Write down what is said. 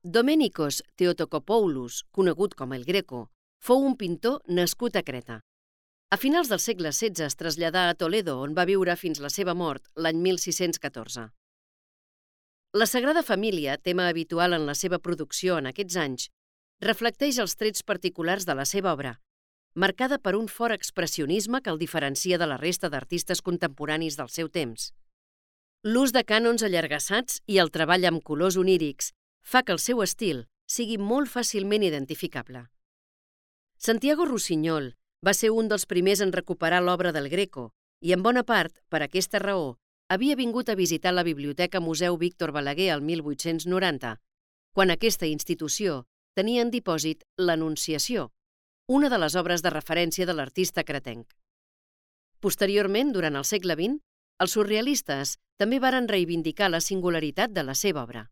Domenikos Theotokopoulos, conegut com el Greco, fou un pintor nascut a Creta. A finals del segle XVI es traslladà a Toledo, on va viure fins la seva mort l'any 1614. La Sagrada Família, tema habitual en la seva producció en aquests anys, reflecteix els trets particulars de la seva obra, marcada per un fort expressionisme que el diferencia de la resta d'artistes contemporanis del seu temps. L'ús de cànons allargassats i el treball amb colors onírics fa que el seu estil sigui molt fàcilment identificable. Santiago Rusiñol va ser un dels primers en recuperar l'obra del Greco i, en bona part, per aquesta raó, havia vingut a visitar la Biblioteca Museu Víctor Balaguer el 1890, quan aquesta institució tenia en dipòsit l'Anunciació, una de les obres de referència de l'artista cretenc. Posteriorment, durant el segle XX, els surrealistes també varen reivindicar la singularitat de la seva obra.